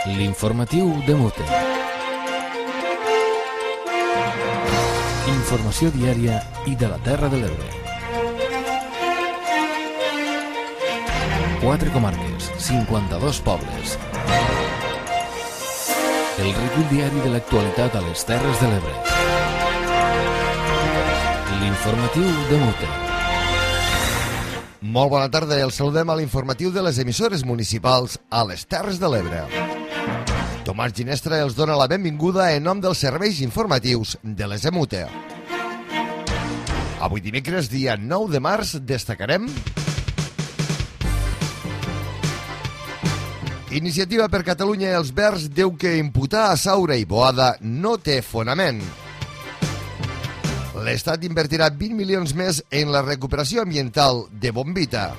L'informatiu de Mute. Informació diària i de la Terra de l'Ebre. 4 comarques, 52 pobles. El recull diari de l'actualitat a les Terres de l'Ebre. L'informatiu de Mute. Molt bona tarda, els saludem a l'informatiu de les emissores municipals a les Terres de l'Ebre. Tomàs Ginestra els dona la benvinguda en nom dels serveis informatius de les EMUTE. Avui dimecres, dia 9 de març, destacarem... Iniciativa per Catalunya i els Verds diu que imputar a Saura i Boada no té fonament. L'Estat invertirà 20 milions més en la recuperació ambiental de Bombita.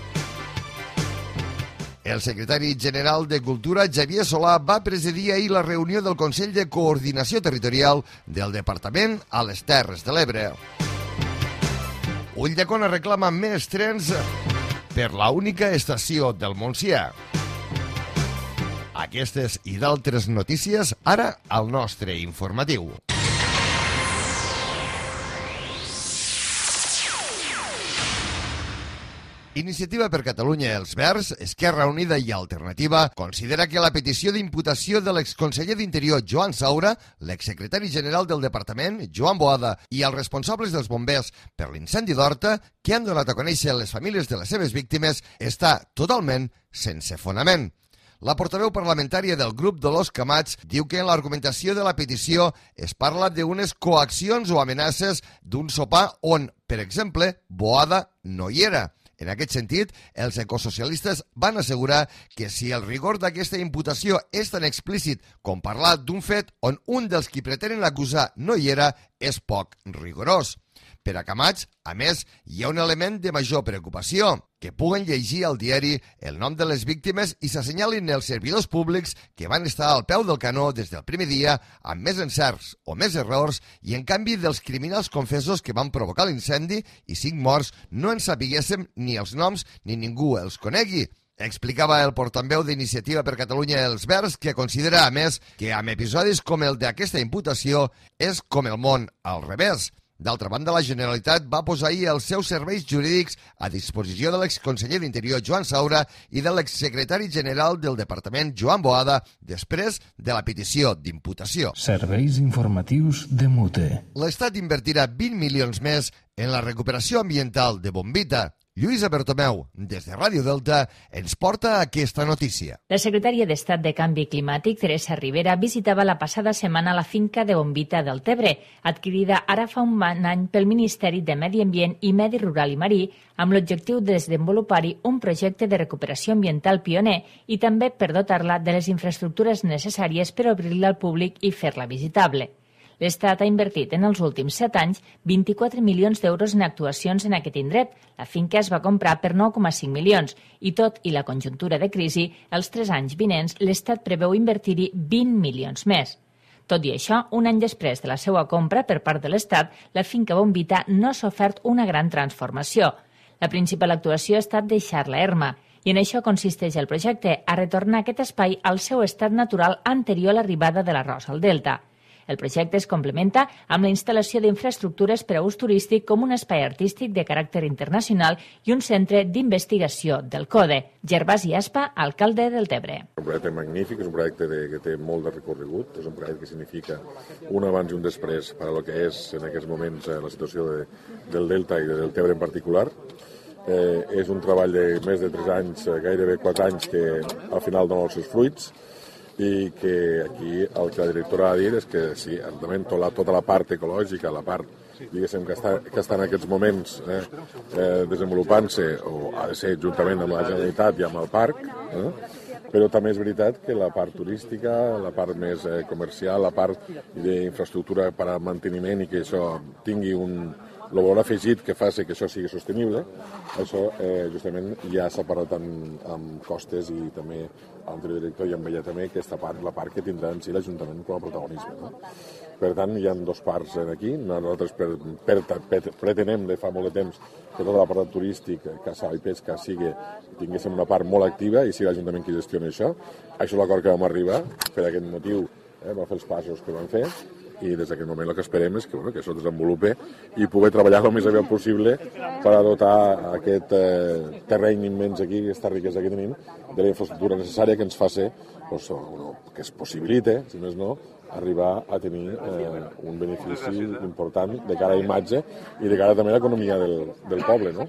El secretari general de Cultura, Xavier Solà, va presidir ahir la reunió del Consell de Coordinació Territorial del Departament a les Terres de l'Ebre. Ulldecona reclama més trens per la única estació del Montsià. Aquestes i d'altres notícies ara al nostre informatiu. Iniciativa per Catalunya i els Verds, Esquerra Unida i Alternativa considera que la petició d'imputació de l'exconseller d'Interior Joan Saura, l'exsecretari general del departament Joan Boada i els responsables dels bombers per l'incendi d'Horta, que han donat a conèixer les famílies de les seves víctimes, està totalment sense fonament. La portaveu parlamentària del grup Dolors Camats diu que en l'argumentació de la petició es parla d'unes coaccions o amenaces d'un sopar on, per exemple, Boada no hi era. En aquest sentit, els ecosocialistes van assegurar que si el rigor d'aquesta imputació és tan explícit com parlar d'un fet on un dels qui pretenen acusar no hi era, és poc rigorós. Per a Camats, a més, hi ha un element de major preocupació, que puguen llegir al diari el nom de les víctimes i s'assenyalin els servidors públics que van estar al peu del canó des del primer dia amb més encerts o més errors i en canvi dels criminals confessos que van provocar l'incendi i 5 morts no en sapiguéssim ni els noms ni ningú els conegui. Explicava el portaveu d'Iniciativa per Catalunya i els Verds, que considera, a més, que amb episodis com el d'aquesta imputació és com el món al revés. D'altra banda, la Generalitat va posar ahir els seus serveis jurídics a disposició de l'exconseller d'Interior Joan Saura i de l'exsecretari general del Departament Joan Boada després de la petició d'imputació. Serveis informatius de Mute. L'Estat invertirà 20 milions més en la recuperació ambiental de Bombita. Lluïsa Bertomeu, des de Ràdio Delta, ens porta aquesta notícia. La secretària d'Estat de Canvi Climàtic, Teresa Rivera, visitava la passada setmana la finca de Bombita del Tebre, adquirida ara fa un any pel Ministeri de Medi Ambient i Medi Rural i Marí, amb l'objectiu de desenvolupar-hi un projecte de recuperació ambiental pioner i també per dotar-la de les infraestructures necessàries per obrir-la al públic i fer-la visitable. L'Estat ha invertit en els últims 7 anys 24 milions d'euros en actuacions en aquest indret. La finca es va comprar per 9,5 milions i tot i la conjuntura de crisi, els 3 anys vinents l'Estat preveu invertir-hi 20 milions més. Tot i això, un any després de la seva compra per part de l'Estat, la finca Bombita no ha sofert una gran transformació. La principal actuació ha estat deixar-la erma, i en això consisteix el projecte, a retornar aquest espai al seu estat natural anterior a l'arribada de l'arròs al delta. El projecte es complementa amb la instal·lació d'infraestructures per a ús turístic com un espai artístic de caràcter internacional i un centre d'investigació del CODE. Gervasi Aspa, alcalde del Tebre. Un projecte magnífic, és un projecte que té molt de recorregut, és un projecte que significa un abans i un després per a lo que és en aquests moments la situació del Delta i del Tebre en particular. És un treball de més de 3 anys, gairebé 4 anys, que al final dona els seus fruits, i que aquí el que la directora ha dit és que sí, evidentment tota la part ecològica, la part diguéssim que està en aquests moments desenvolupant-se o ha de ser juntament amb la Generalitat i amb el parc, però també és veritat que la part turística, la part més comercial, la part d'infraestructura per a manteniment i que això tingui un El valor afegit que fa que això sigui sostenible, això justament ja s'ha parlat amb Costes i també a l'anterior director i amb ella també, aquesta part, la part que tindrà en si l'Ajuntament com a protagonisme. No? Per tant, hi ha dues parts aquí. Nosaltres pretenem de fa molt de temps que tota la part turístic, caça i pesca, tinguéssim una part molt activa i sigui l'Ajuntament qui gestioni això. Això és l'acord que vam arribar, per aquest motiu vam fer els passos que vam fer i des d'aquest moment el que esperem és que això es desenvolupi i poder treballar el més aviat possible per a dotar aquest terreny immens aquí, aquesta riquesa que tenim, de la infraestructura necessària que ens faci, que es possibilite, si més no, arribar a tenir un benefici important de cara a imatge i de cara també a l'economia del poble, no?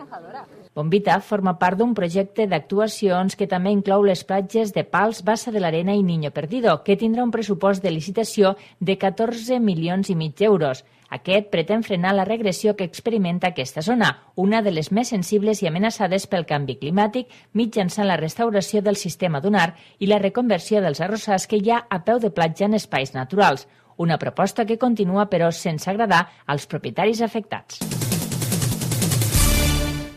Bombita forma part d'un projecte d'actuacions que també inclou les platges de Pals, Bassa de l'Arena i Niño Perdido, que tindrà un pressupost de licitació de 14,5 milions d'euros. Aquest pretén frenar la regressió que experimenta aquesta zona, una de les més sensibles i amenaçades pel canvi climàtic, mitjançant la restauració del sistema dunar i la reconversió dels arrossars que hi ha a peu de platja en espais naturals. Una proposta que continua, però, sense agradar als propietaris afectats.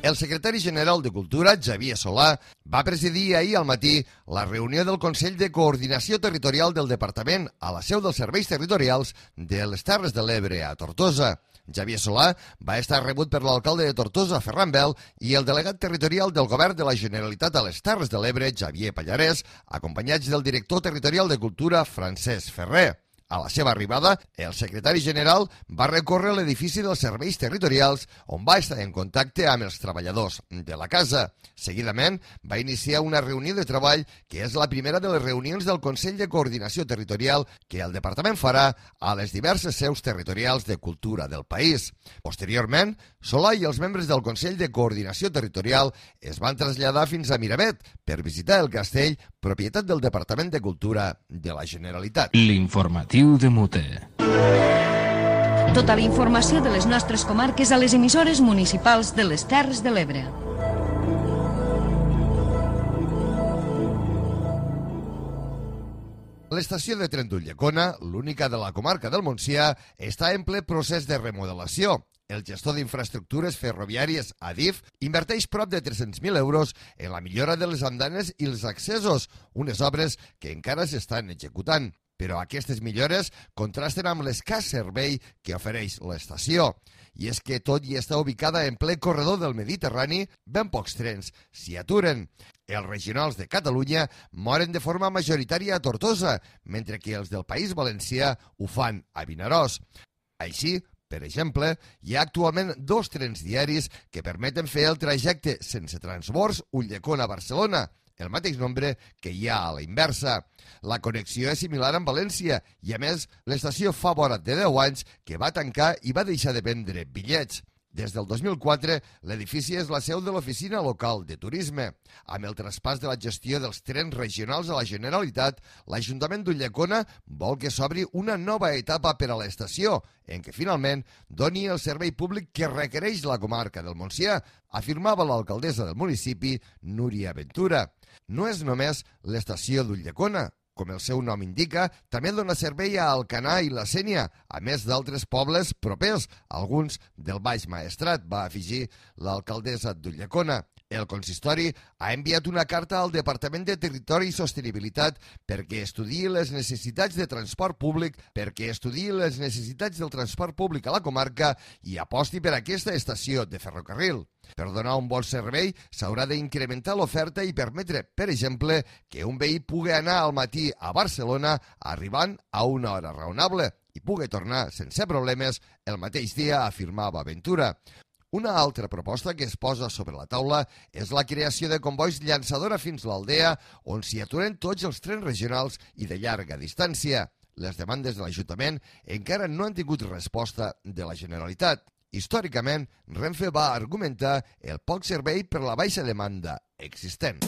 El secretari general de Cultura, Xavier Solà, va presidir ahir al matí la reunió del Consell de Coordinació Territorial del Departament a la seu dels Serveis Territorials de les Terres de l'Ebre a Tortosa. Xavier Solà va estar rebut per l'alcalde de Tortosa, Ferran Bel, i el delegat territorial del Govern de la Generalitat a les Terres de l'Ebre, Xavier Pallarès, acompanyats del director territorial de Cultura, Francesc Ferrer. A la seva arribada, el secretari general va recórrer l'edifici dels serveis territorials on va estar en contacte amb els treballadors de la casa. Seguidament, va iniciar una reunió de treball que és la primera de les reunions del Consell de Coordinació Territorial que el departament farà a les diverses seus territorials de cultura del país. Posteriorment, Solà i els membres del Consell de Coordinació Territorial es van traslladar fins a Miravet per visitar el castell, propietat del Departament de Cultura de la Generalitat. L'informatiu de Mute. Tota la informació de les nostres comarques a les emissores municipals de les Terres de l'Ebre. L'estació de tren d'Ulldecona, l'única de la comarca del Montsià, està en ple procés de remodelació. El gestor d'infraestructures ferroviàries, Adif, inverteix prop de 300.000 euros en la millora de les andanes i els accessos, unes obres que encara s'estan executant. Però aquestes millores contrasten amb l'escàs servei que ofereix l'estació. I és que tot i està ubicada en ple corredor del Mediterrani, ben pocs trens s'hi aturen. Els regionals de Catalunya moren de forma majoritària a Tortosa, mentre que els del País Valencià ho fan a Vinaròs. Així, per exemple, hi ha actualment 2 trens diaris que permeten fer el trajecte sense transbords Ulldecona-Barcelona, el mateix nombre que hi ha a la inversa. La connexió és similar amb València i, a més, l'estació fa vora de 10 anys que va tancar i va deixar de vendre bitllets. Des del 2004, l'edifici és la seu de l'Oficina Local de Turisme. Amb el traspàs de la gestió dels trens regionals a la Generalitat, l'Ajuntament d'Ulldecona vol que s'obri una nova etapa per a l'estació, en què finalment doni el servei públic que requereix la comarca del Montsià, afirmava l'alcaldessa del municipi, Núria Ventura. No és només l'estació d'Ulldecona. Com el seu nom indica, també dona servei a Alcanar i la Sénia, a més d'altres pobles propers, alguns del Baix Maestrat, va afegir l'alcaldessa d'Ulldecona. El consistori ha enviat una carta al Departament de Territori i Sostenibilitat perquè estudiï les necessitats de transport públic, del transport públic a la comarca i aposti per aquesta estació de ferrocarril. Per donar un bon servei s'haurà d'incrementar l'oferta i permetre, per exemple, que un veí pugui anar al matí a Barcelona arribant a una hora raonable i pugui tornar sense problemes el mateix dia, afirmava Ventura. Una altra proposta que es posa sobre la taula és la creació de combois llançadora fins a l'Aldea, on s'hi aturen tots els trens regionals i de llarga distància. Les demandes de l'Ajuntament encara no han tingut resposta de la Generalitat. Històricament, Renfe va argumentar el poc servei per la baixa demanda existent.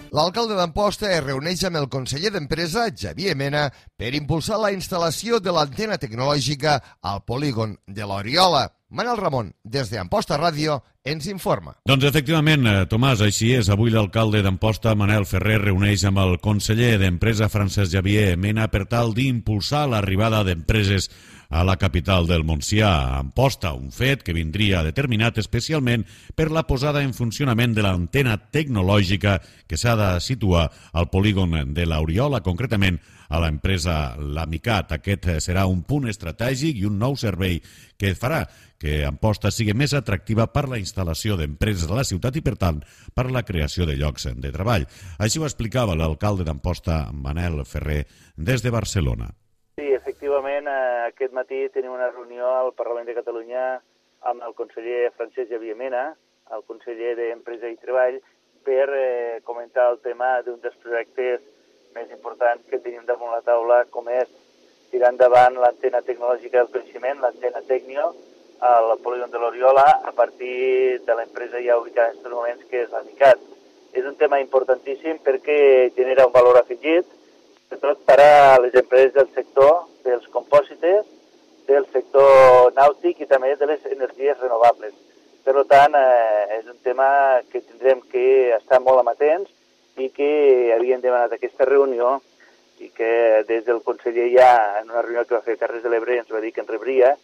L'alcalde d'Amposta es reuneix amb el conseller d'Empresa, Xavier Mena, per impulsar la instal·lació de l'antena tecnològica al polígon de l'Oriola. Manel Ramon, des d'Amposta Ràdio, ens informa. Doncs efectivament, Tomàs, així és. Avui l'alcalde d'Amposta, Manel Ferrer, reuneix amb el conseller d'Empresa, Francesc Xavier Mena, per tal d'impulsar l'arribada d'empreses a la capital del Montsià, a Amposta, un fet que vindria determinat especialment per la posada en funcionament de l'antena tecnològica que s'ha de situar al polígon de l'Oriola, concretament a l'empresa L'Amicat. Aquest serà un punt estratègic i un nou servei que farà que Amposta sigui més atractiva per la instal·lació d'empreses a la ciutat i, per tant, per la creació de llocs de treball. Així ho explicava l'alcalde d'Amposta, Manel Ferrer, des de Barcelona. Sí, efectivament, aquest matí tenim una reunió al Parlament de Catalunya amb el conseller Francesc Xavier Mena, el conseller d'Empresa i Treball, per comentar el tema d'un dels projectes més importants que tenim damunt la taula, com és tirar endavant l'antena tecnològica del coneixement, l'antena Tecnio, al polígon de l'Oriola, a partir de l'empresa ja ubicada en aquests moments, que és l'Amicat. És un tema importantíssim perquè genera un valor afegit, sobretot per a les empreses del sector dels compòsites, del sector nàutic i també de les energies renovables. Per tant, és un tema que tindrem que estar molt amatents i que havien demanat aquesta reunió i que des del conseller ja en una reunió que va fer a Terres de l'Ebre ens va dir que ens rebria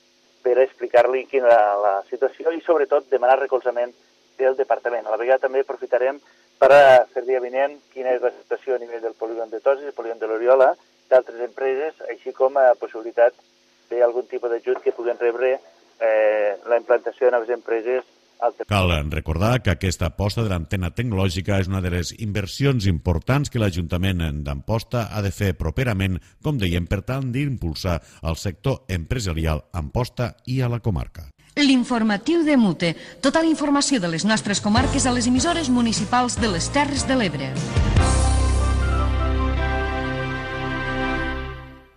per explicar-li quina era la situació i sobretot demanar recolzament del departament. A la vegada també aprofitarem per fer-li avinent quina és la situació a nivell del polígon de Toses, el polígon de l'Oriola, d'altres empreses, així com a possibilitat d'algun tipus d'ajut que puguen rebre la implantació de noves empreses. Cal recordar que aquesta aposta de l'antena tecnològica és una de les inversions importants que l'Ajuntament d'Amposta ha de fer properament, com dèiem, per tant d'impulsar el sector empresarial a Amposta i a la comarca. L'informatiu de Mute. Tota la informació de les nostres comarques a les emissores municipals de les Terres de l'Ebre.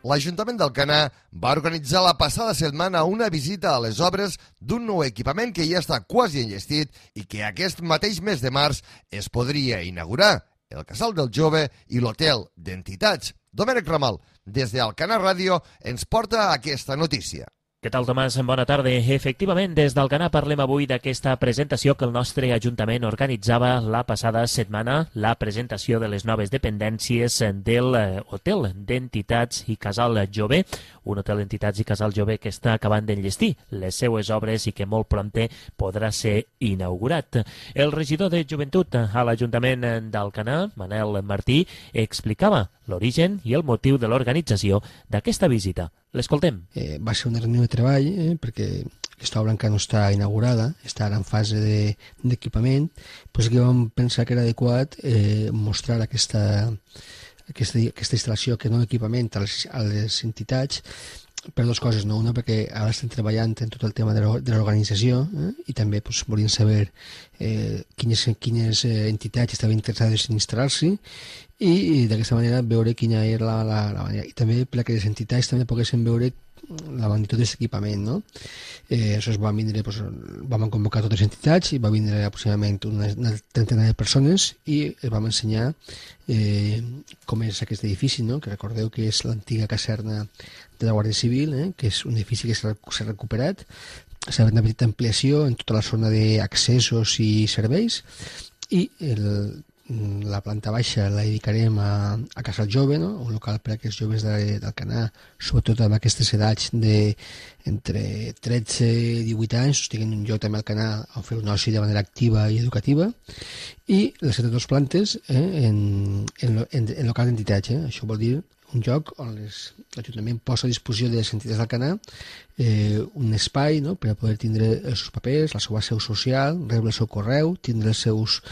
L'Ajuntament d'Alcanar va organitzar la passada setmana una visita a les obres d'un nou equipament que ja està quasi enllestit i que aquest mateix mes de març es podria inaugurar, el Casal del Jove i l'Hotel d'Entitats. Domènec Ramal, des d'Alcanar Ràdio, ens porta aquesta notícia. Què tal, Tomàs? Bona tarda. Efectivament, des d'Alcanar parlem avui d'aquesta presentació que el nostre Ajuntament organitzava la passada setmana, la presentació de les noves dependències del Hotel d'Entitats i Casal Jove, un hotel d'entitats i Casal Jove que està acabant d'enllestir les seues obres i que molt prompte podrà ser inaugurat. El regidor de Joventut a l'Ajuntament d'Alcanar, Manel Martí, explicava l'origen i el motiu de l'organització d'aquesta visita. L'escoltem. Va ser una reunió de treball perquè aquesta obra encara no està inaugurada, està ara en fase d'equipament, doncs que vam pensar que era adequat mostrar aquesta instal·lació, aquest nou equipament a les entitats, per dues coses, no? Una, perquè ara estem treballant en tot el tema de l'organització i també volíem saber quines entitats estaven interessades en instal·lar-s'hi i d'aquesta manera veure quina era la manera. I també perquè les entitats també poguessin veure la magnitud d'aquest equipament, no? Aleshores vam convocar totes les entitats i va vindre aproximadament una trentena de persones i vam ensenyar com és aquest edifici, no? Que recordeu que és l'antiga caserna de la Guàrdia Civil, que és un edifici que s'ha recuperat. S'ha fet una petita ampliació en tota la zona d'accessos i serveis i la planta baixa la dedicarem a Casal Jove, no? Un local per a aquests joves d'Alcanar, sobretot amb aquestes edats entre 13 i 18 anys, tinguin un lloc també a Alcanar a fer un oci de manera activa i educativa, i les altres dues plantes en local d'entitats. Això vol dir un lloc on l'Ajuntament posa a disposició de les entitats d'Alcanar un espai, no?, per a poder tindre els seus papers, la seva seu social, rebre el seu correu, tindre els seus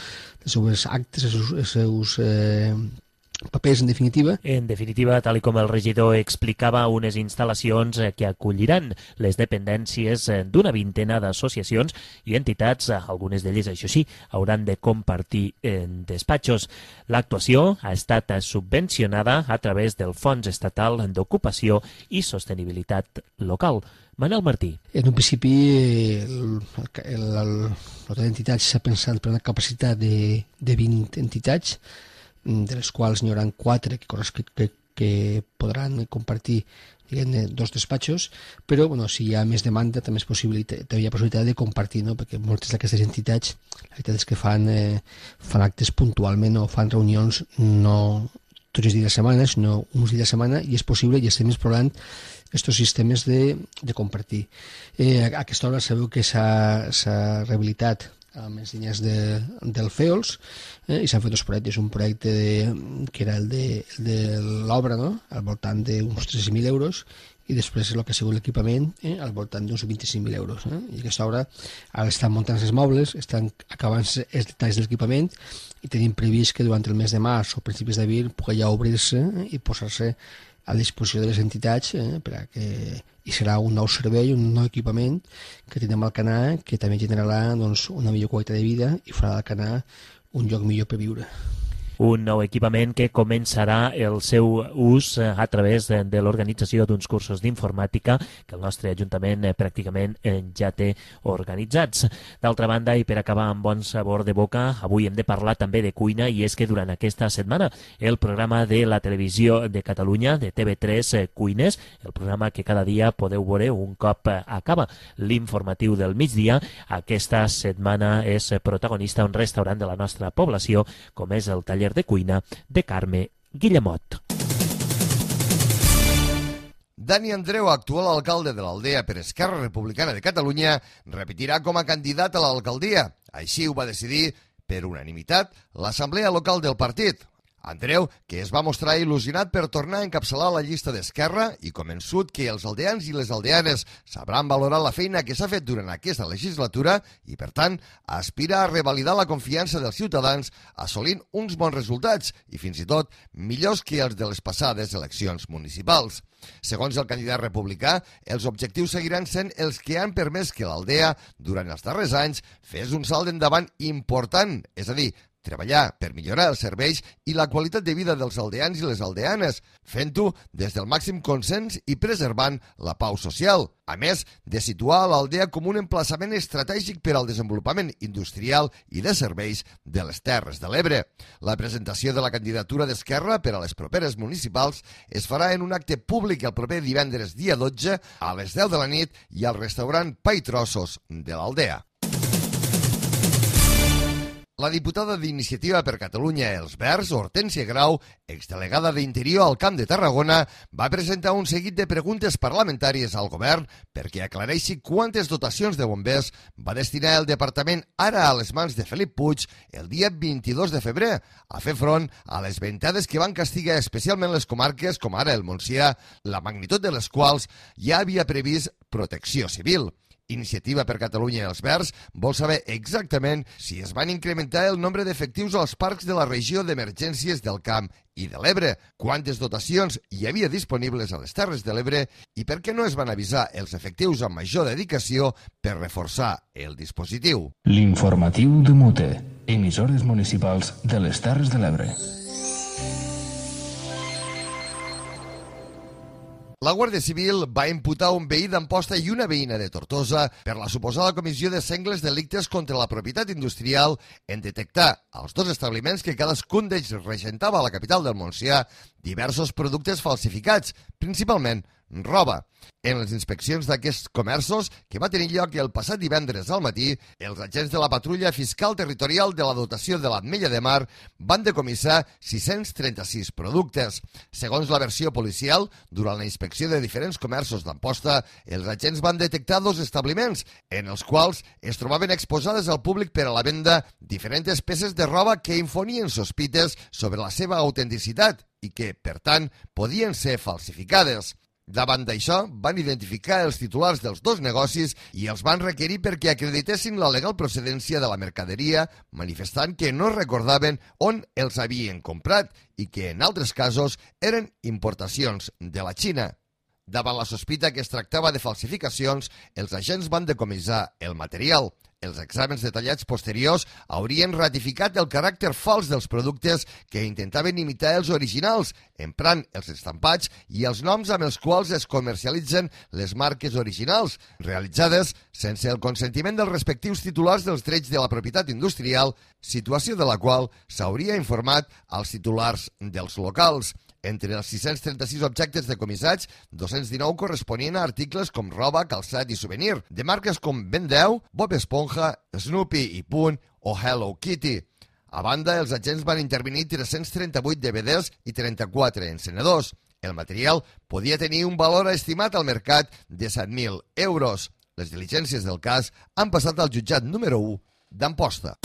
actes, els seus papers, en definitiva. En definitiva, tal com el regidor explicava, unes instal·lacions que acolliran les dependències d'una vintena d'associacions i entitats, algunes d'elles, això sí, hauran de compartir despatxos. L'actuació ha estat subvencionada a través del Fons Estatal d'Ocupació i Sostenibilitat Local. Manel Martí. En un principi, l'hotel d'entitats s'ha pensat per una capacitat de 20 entitats, de les quals n'hi haurà 4 que podran compartir, diguem-ne, 2 despatxos, però si hi ha més demanda també hi ha possibilitat de compartir, no? Perquè moltes d'aquestes entitats, la veritat és que fan actes puntualment o fan reunions no tots els dies de setmana, sinó uns dies de setmana, i és possible, i estem explorant aquests sistemes de compartir. A aquesta hora sabeu que s'ha rehabilitat amb les línies del FEOLS i s'han fet dos projectes. Un projecte que era el de l'obra, no?, al voltant d'uns 13.000 euros, i després el que ha sigut l'equipament al voltant d'uns 25.000 euros. I aquesta obra ara estan muntant els mobles, estan acabant els detalls de l'equipament i tenim previst que durant el mes de març o principis d'abril pugui ja obrir-se i posar-se a disposició de les entitats i serà un nou servei, un nou equipament que tindrem al Canà, que també generarà una millor qualitat de vida i farà del Canà un lloc millor per viure. Un nou equipament que començarà el seu ús a través de l'organització d'uns cursos d'informàtica que el nostre Ajuntament pràcticament ja té organitzats. D'altra banda, i per acabar amb bon sabor de boca, avui hem de parlar també de cuina, i és que durant aquesta setmana el programa de la televisió de Catalunya, de TV3 Cuines, el programa que cada dia podeu veure un cop acaba l'informatiu del migdia, aquesta setmana és protagonista un restaurant de la nostra població, com és el Taller de Cuina de Carme Guillemot. Dani Andreu, actual alcalde de l'Aldea per Esquerra Republicana de Catalunya, repetirà com a candidat a l'alcaldia. Així ho va decidir, per unanimitat, l'assemblea local del partit. Andreu, que es va mostrar il·lusionat per tornar a encapçalar la llista d'Esquerra i convençut que els aldeans i les aldeanes sabran valorar la feina que s'ha fet durant aquesta legislatura i, per tant, aspira a revalidar la confiança dels ciutadans assolint uns bons resultats i, fins i tot, millors que els de les passades eleccions municipals. Segons el candidat republicà, els objectius seguiran sent els que han permès que l'Aldea, durant els darrers anys, fes un salt endavant important, és a dir, treballar per millorar els serveis i la qualitat de vida dels aldeans i les aldeanes, fent-ho des del màxim consens i preservant la pau social, a més de situar l'Aldea com un emplaçament estratègic per al desenvolupament industrial i de serveis de les Terres de l'Ebre. La presentació de la candidatura d'Esquerra per a les properes municipals es farà en un acte públic el proper divendres dia 12 a les 10 de la nit i al restaurant Pa i Trossos de l'Aldea. La diputada d'Iniciativa per Catalunya Els Verds, Hortènsia Grau, exdelegada d'Interior al Camp de Tarragona, va presentar un seguit de preguntes parlamentàries al govern perquè aclareixi quantes dotacions de bombers va destinar el departament ara a les mans de Felip Puig el dia 22 de febrer a fer front a les ventades que van castigar especialment les comarques com ara el Montsià, la magnitud de les quals ja havia previst protecció civil. Iniciativa per Catalunya i Els Verds vol saber exactament si es van incrementar el nombre d'efectius als parcs de la regió d'emergències del Camp i de l'Ebre, quantes dotacions hi havia disponibles a les Terres de l'Ebre i per què no es van avisar els efectius amb major dedicació per reforçar el dispositiu. L'informatiu de Mute, emissores municipals de les Terres de l'Ebre. La Guàrdia Civil va imputar un veí d'Amposta i una veïna de Tortosa per la suposada comissió de sengles delictes contra la propietat industrial en detectar als dos establiments que cadascun d'ells regentava a la capital del Montsià diversos productes falsificats, principalment roba. En les inspeccions d'aquests comerços, que va tenir lloc el passat divendres al matí, els agents de la Patrulla Fiscal Territorial de la Dotació de l'Ametlla de Mar van decomissar 636 productes. Segons la versió policial, durant la inspecció de diferents comerços d'Amposta, els agents van detectar dos establiments, en els quals es trobaven exposades al públic per a la venda diferents peces de roba que infonien sospites sobre la seva autenticitat i que, per tant, podien ser falsificades. Davant d'això, van identificar els titulars dels dos negocis i els van requerir perquè acreditessin la legal procedència de la mercaderia, manifestant que no recordaven on els havien comprat i que, en altres casos, eren importacions de la Xina. Davant la sospita que es tractava de falsificacions, els agents van decomissar el material. Els exàmens detallats posteriors haurien ratificat el caràcter fals dels productes que intentaven imitar els originals, emprant els estampats i els noms amb els quals es comercialitzen les marques originals, realitzades sense el consentiment dels respectius titulars dels drets de la propietat industrial, situació de la qual s'hauria informat als titulars dels locals. Entre els 636 objectes decomissats, 219 corresponien a articles com roba, calçat i souvenir, de marques com Ben 10, Bob Esponja, Snoopy i Punt o Hello Kitty. A banda, els agents van intervenir 338 DVDs i 34 encenedors. El material podia tenir un valor estimat al mercat de 7.000 euros. Les diligències del cas han passat al jutjat número 1 d'Amposta.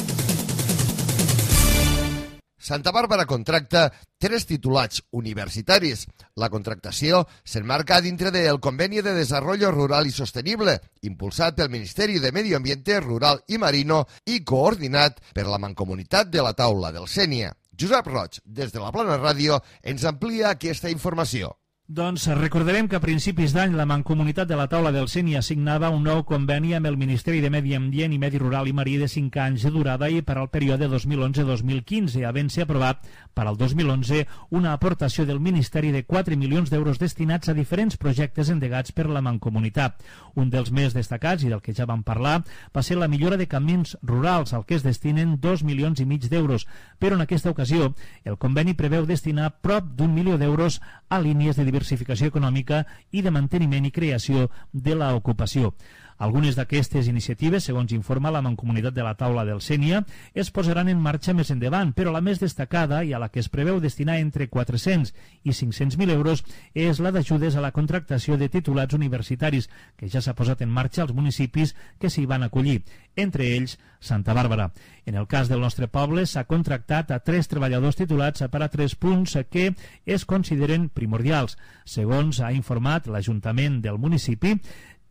Santa Bàrbara contracta 3 titulats universitaris. La contractació s'enmarca dintre del Conveni de Desarrollo Rural i Sostenible, impulsat pel Ministeri de Medi Ambiente Rural i Marino i coordinat per la Mancomunitat de la Taula del Sénia. Josep Roig, des de la Plana Ràdio, ens amplia aquesta informació. Doncs recordarem que a principis d'any la Mancomunitat de la Taula del Sénia signava un nou conveni amb el Ministeri de Medi Ambient i Medi Rural i Marí de 5 anys de durada i per al període 2011-2015, havent-se aprovat per al 2011 una aportació del Ministeri de 4 milions d'euros destinats a diferents projectes endegats per la Mancomunitat. Un dels més destacats, i del que ja vam parlar, va ser la millora de camins rurals, al que es destinen 2,5 milions d'euros, però en aquesta ocasió el conveni preveu destinar prop d'1 milió d'euros a línies de diversificació econòmica i de manteniment i creació de l'ocupació. Algunes d'aquestes iniciatives, segons informa la Mancomunitat de la Taula del Sénia, es posaran en marxa més endavant, però la més destacada i a la que es preveu destinar entre 400 i 500.000 euros és la d'ajudes a la contractació de titulats universitaris, que ja s'ha posat en marxa als municipis que s'hi van acollir, entre ells Santa Bàrbara. En el cas del nostre poble s'ha contractat a 3 treballadors titulats per a 3 punts que es consideren primordials. Segons ha informat l'Ajuntament del municipi,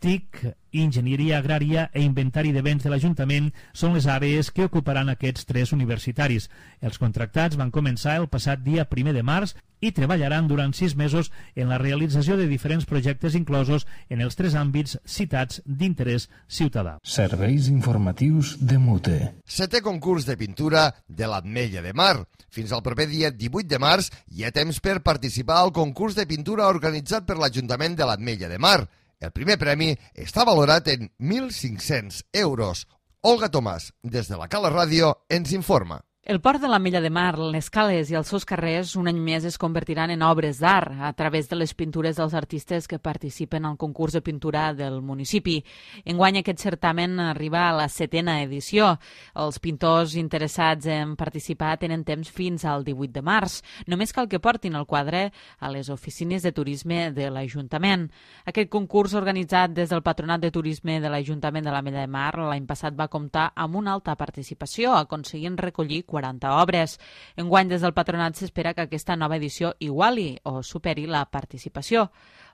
TIC, Enginyeria Agrària i Inventari de Béns de l'Ajuntament són les àrees que ocuparan aquests 3 universitaris. Els contractats van començar el passat dia 1 de març i treballaran durant 6 mesos en la realització de diferents projectes inclosos en els 3 àmbits citats d'interès ciutadà. Serveis informatius de Mute. 7è concurs de pintura de l'Ametlla de Mar. Fins al proper dia 18 de març hi ha temps per participar al concurs de pintura organitzat per l'Ajuntament de l'Ametlla de Mar. El primer premi està valorat en 1.500 euros. Olga Tomàs, des de la Cala Ràdio, ens informa. El port de l'Ametlla de Mar, les cales i els seus carrers un any més es convertiran en obres d'art a través de les pintures dels artistes que participen al concurs de pintura del municipi. Enguany aquest certamen arriba a la 7a edició. Els pintors interessats en participar tenen temps fins al 18 de març. Només cal que portin el quadre a les oficines de turisme de l'Ajuntament. Aquest concurs organitzat des del Patronat de Turisme de l'Ajuntament de l'Ametlla de Mar l'any passat va comptar amb una alta participació, aconseguint recollir 40 obres. Enguany, des del patronat s'espera que aquesta nova edició iguali o superi la participació.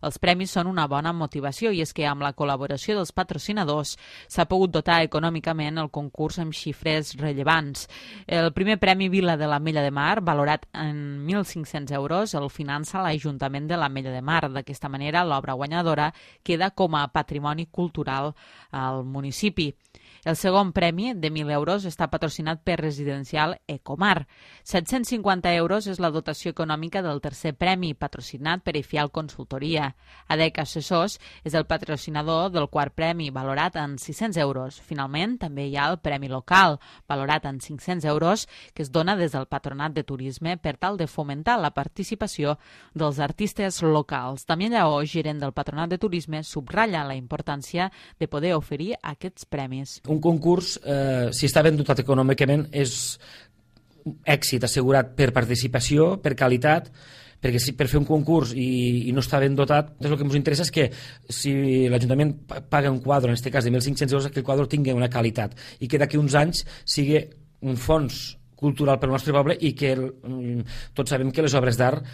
Els premis són una bona motivació i és que amb la col·laboració dels patrocinadors s'ha pogut dotar econòmicament el concurs amb xifres rellevants. El primer premi Vila de l'Ametlla de Mar, valorat en 1.500 euros, el finança l'Ajuntament de l'Ametlla de Mar. D'aquesta manera, l'obra guanyadora queda com a patrimoni cultural al municipi. El segon premi, de 1.000 euros, està patrocinat per Residencial Ecomar. 750 euros és la dotació econòmica del tercer premi, patrocinat per EFIAL Consultoria. ADEC Assessors és el patrocinador del quart premi, valorat en 600 euros. Finalment, també hi ha el Premi Local, valorat en 500 euros, que es dona des del Patronat de Turisme per tal de fomentar la participació dels artistes locals. Damià Lleó, gerent del Patronat de Turisme, subratlla la importància de poder oferir aquests premis. Un concurs, si està ben dotat econòmicament, és èxit assegurat per participació, per qualitat, perquè si per fer un concurs i no està ben dotat, el que ens interessa és que si l'Ajuntament paga un quadre, en aquest cas de 1.500 euros, que el quadre tingui una qualitat i que d'aquí uns anys sigui un fons cultural pel nostre poble i que tots sabem que les obres d'art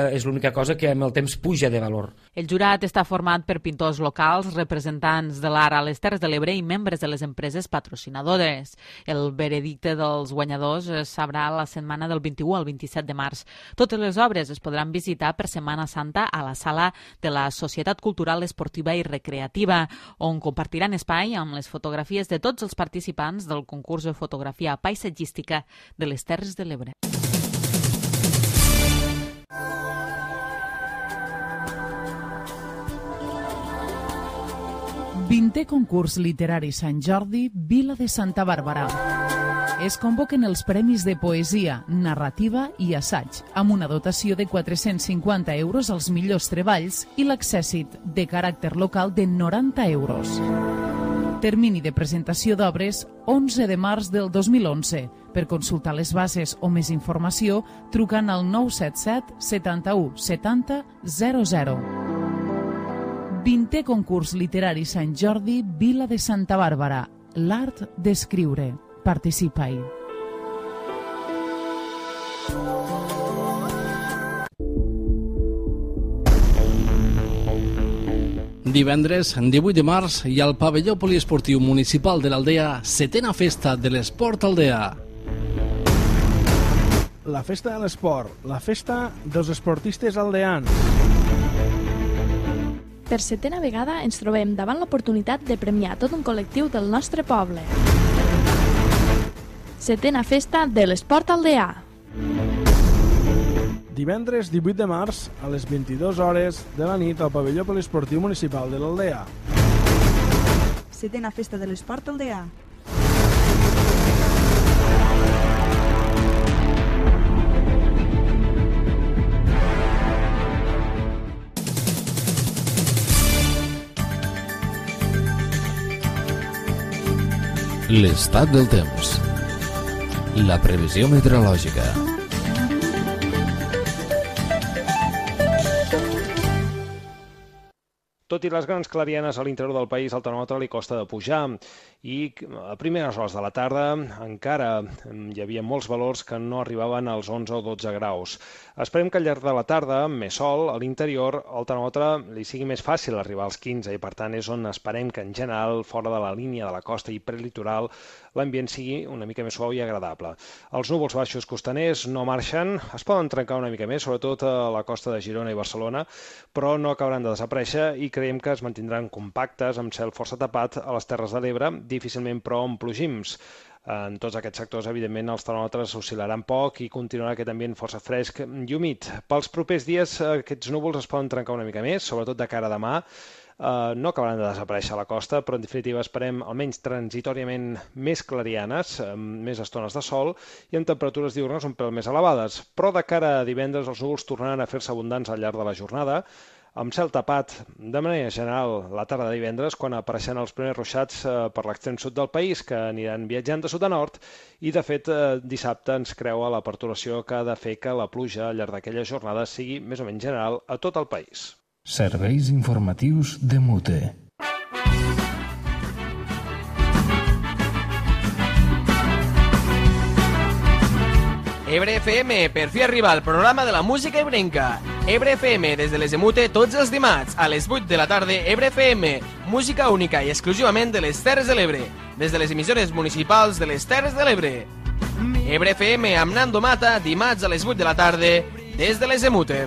és l'única cosa que amb el temps puja de valor. El jurat està format per pintors locals, representants de l'art a les Terres de l'Ebre i membres de les empreses patrocinadores. El veredicte dels guanyadors es sabrà la setmana del 21 al 27 de març. Totes les obres es podran visitar per Setmana Santa a la sala de la Societat Cultural Esportiva i Recreativa, on compartiran espai amb les fotografies de tots els participants del concurs de fotografia paisatgística de les Terres de l'Ebre. Vintè concurs literari Sant Jordi, Vila de Santa Bàrbara. Es convoquen els premis de poesia, narrativa i assaig, amb una dotació de 450 euros als millors treballs i l'accèssit de caràcter local de 90 euros. Termini de presentació d'obres 11 de març del 2011. Per consultar les bases o més informació, trucant al 977 71 70 00. 20è concurs literari Sant Jordi, Vila de Santa Bàrbara. L'art d'escriure. Participa-hi. Divendres, 18 de març, hi ha al pavelló poliesportiu municipal de l'Aldea 7a festa de l'esport aldea. La festa de l'esport, la festa dels esportistes aldeans. Per 7a vegada ens trobem davant l'oportunitat de premiar tot un col·lectiu del nostre poble. 7a festa de l'esport aldeà. Divendres 18 de març a les 22 hores de la nit al pavelló poliesportiu municipal de l'Aldea. 7a festa de l'esport aldeà. L'estat del temps. La previsió meteorològica. Tot i les grans clarianes a l'interior del país, al termòmetre li costa de pujar i a primeres hores de la tarda encara hi havia molts valors que no arribaven als 11 o 12 graus. Esperem que al llarg de la tarda, amb més sol, a l'interior el termòmetre li sigui més fàcil arribar als 15 i per tant és on esperem que en general, fora de la línia de la costa i prelitoral, l'ambient sigui una mica més suau i agradable. Els núvols baixos costaners no marxen, es poden trencar una mica més, sobretot a la costa de Girona i Barcelona, però no acabaran de desaparèixer i creiem que es mantindran compactes amb cel força tapat a les Terres de l'Ebre, difícilment però amb plogims. En tots aquests sectors, evidentment, els termòmetres oscil·laran poc i continuarà aquest ambient força fresc i humit. Pels propers dies, aquests núvols es poden trencar una mica més, sobretot de cara a demà. No acabaran de desaparèixer a la costa, però en definitiva esperem almenys transitoriament més clarianes, amb més estones de sol i amb temperatures diürnes un pèl més elevades. Però de cara a divendres els núvols tornaran a fer-se abundants al llarg de la jornada, amb cel tapat de manera general la tarda de divendres, quan apareixen els primers ruixats per l'extrem sud del país, que aniran viatjant de sud a nord, i de fet dissabte ens creua la perturbació que ha de fer que la pluja al llarg d'aquella jornada sigui més o menys general a tot el país. Serveis informatius de Mute. Ebre FM, per fi arriba al programa de la música ebrenca. Ebre FM, des de les Emute, tots els dimarts, a les 8 de la tarda, Ebre FM, música única i exclusivament de les Terres de l'Ebre, des de les emissores municipals de les Terres de l'Ebre. Ebre FM amb Nando Mata, dimarts a les 8 de la tarda, des de les Emute.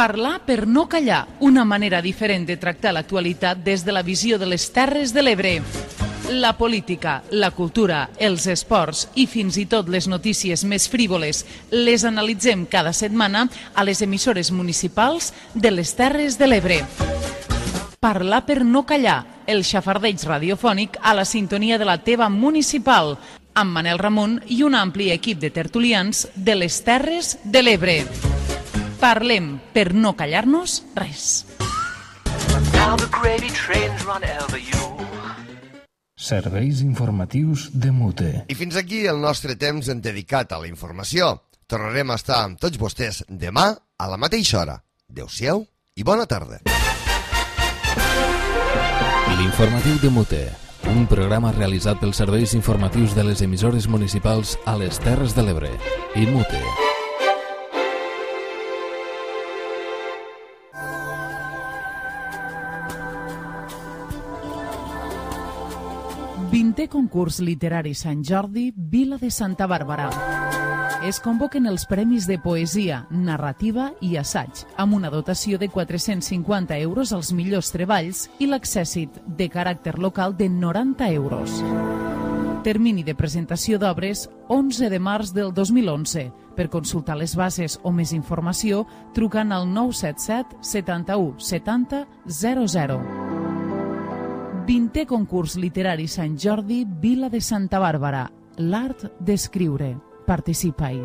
Parlar per no callar, una manera diferent de tractar l'actualitat des de la visió de les Terres de l'Ebre. La política, la cultura, els esports i fins i tot les notícies més frívoles les analitzem cada setmana a les emissores municipals de les Terres de l'Ebre. Parlar per no callar, el xafardeig radiofònic a la sintonia de la teva municipal, amb Manel Ramon i un ampli equip de tertulians de les Terres de l'Ebre. Parlem per no callar-nos res. Serveis informatius de Mute. I fins aquí el nostre temps dedicat a la informació. Tornarem a estar amb tots vostès demà a la mateixa hora. Adéu-siau i bona tarda. L'informatiu de Mute, un programa realitzat pels serveis informatius de les emissores municipals a les Terres de l'Ebre i Mute. 20è concurs literari Sant Jordi, Vila de Santa Bàrbara. Es convoquen els premis de poesia, narrativa i assaig, amb una dotació de 450 euros als millors treballs i l'accèssit de caràcter local de 90 euros. Termini de presentació d'obres 11 de març del 2011. Per consultar les bases o més informació, trucant al 977 71 70 00. 20è concurs literari Sant Jordi, Vila de Santa Bàrbara. L'art d'escriure. Participa-hi.